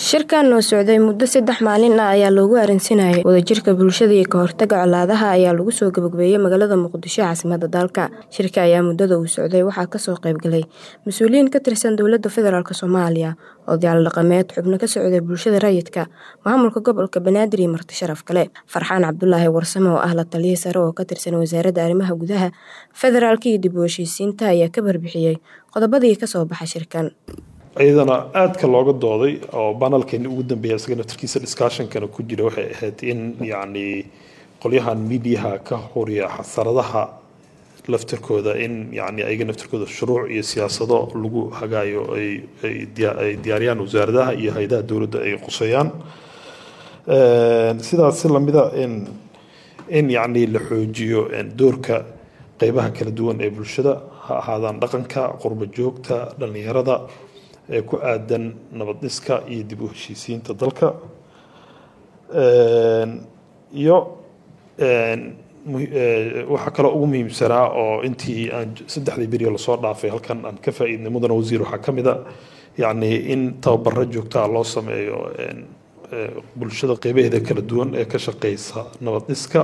Shirkan oo socday muddo 3 maalin ah ayaa loogu arrinsanayay wadajirka bulshada iyo ka hortagga colaadaha ayaa lagu soo gabagabeeyay magaalada Muqdisho ee caasimadda dalka. Shirka ayaa muddada uu socday waxaa kasoo qayb galay mas'uuliyiin ka tirsan dowladda federaalk Soomaaliya, odayaal dhaqameed, xubno ka socday bulshada rayidka, maamulka gobolka Banaadir iyo marti sharaf kale. Farxaan Cabdulaahi Warsame oo ah la taliye sare oo ka tirsan wasaaradda arrimaha gudaha federaalka iyo dib u heshiisiinta ayaa ka warbixiyay qodobadii kasoo baxay shirkan. Iyadana aadka looga dooday oo panelkeeni ugu dambeeya isaga naftarkiisa discussionkana ku jira waxay ahayd in yacni qolyahan mediaha ka horiya xasaradaha laftirkooda in yacni ayaga naftirkooda shuruuc iyo siyaasado lagu hagaayo ay diyaariyaan wasaaradaha iyo hay-adaha dowladda ay quseeyaan. Sidaas si lamida in yacni la xoojiyo doorka qeybaha kala duwan ee bulshada, ha ahaadaan dhaqanka, qurba joogta, dhalinyarada, ee ku aadan nabad dhiska iyo dib u heshiisiinta dalka. Iyo waxaa kaloo ugu muhiimsanaa oo intii aan saddexdii beriyo lasoo dhaafay halkan aan ka faa'iidnay, mudane wasiir, waxaa ka mid a yacni in tababaro joogtaa loo sameeyo bulshada qeybaheeda kala duwan ee ka shaqeysa nabad dhiska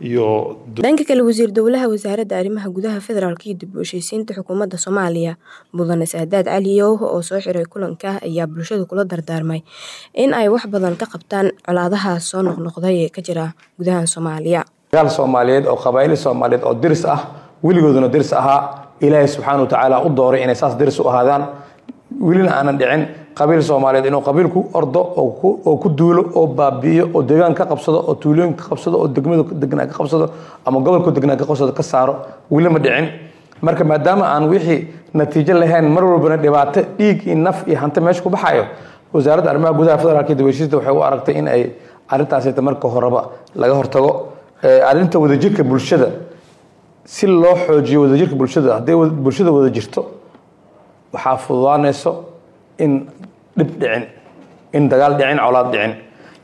iyo Dhanka kale, wasiir dowlaha wasaaradda arrimaha gudaha federaalka iyo dib u heshiisiinta xukuumadda Soomaaliya, mudane Saadaad Cali Yowho, oo soo xiray kulanka ayaa bulshada kula dardaarmay in ay wax badan ka qabtaan colaadaha soo noqnoqday ee ka jira gudaha Soomaaliya. Dagaal Soomaaliyeed oo qabaa'il Soomaaliyeed oo diris ah, weligooduna diris ahaa, Ilaahay subxaana wa tacaala u dooray inay saas diris u ahaadaan, welina aanan dhicin qabiil Soomaaliyeed inuu qabiil ku ordo oo ku duulo oo baabi'iyo oo deegaan ka qabsado oo tuulooyin ka qabsado oo degmada degnaa ka qabsado ama gobolka degnaa ka qabsado ka saaro, weli ma dhicin. Marka maadaama aan wixii natiijo lahayn, mar walbana dhibaato dhiig iyo naf iyo hanti meesha ku baxayo, Wasaaradda Arrimaha Gudaha Federaalka iyo dib u heshiisiinta waxay u aragtay in ay arrintaasi marka horeba laga hortago. Arrinta wadajirka bulshada, si loo xoojiyo wadajirka bulshada, hadday bulshada wada jirto waxaa fududaanayso in dhib dhicin, in dagaal dhicin, colaad dhicin.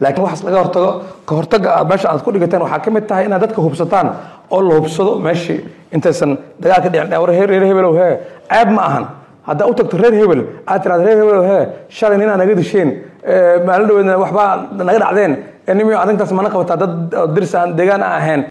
Laakiin waxaas laga hortago, ka hortaga aad meesha aad ku dhigateen waxaa ka mid tahay inaad dadka hubsataan oo la hubsado meeshii intaysan dagaal ka dhicin. War reer hebelow hee, ceeb ma ahan haddaa u tagto reer hebel aad tiraado: "Reer hebelow hee, shalay ninaa naga disheen, maalin dhaweedna waxbaa naga dhacdeen, nimiyo arrintaas mana qabataa dad dirs aan deegaan aan ahayn."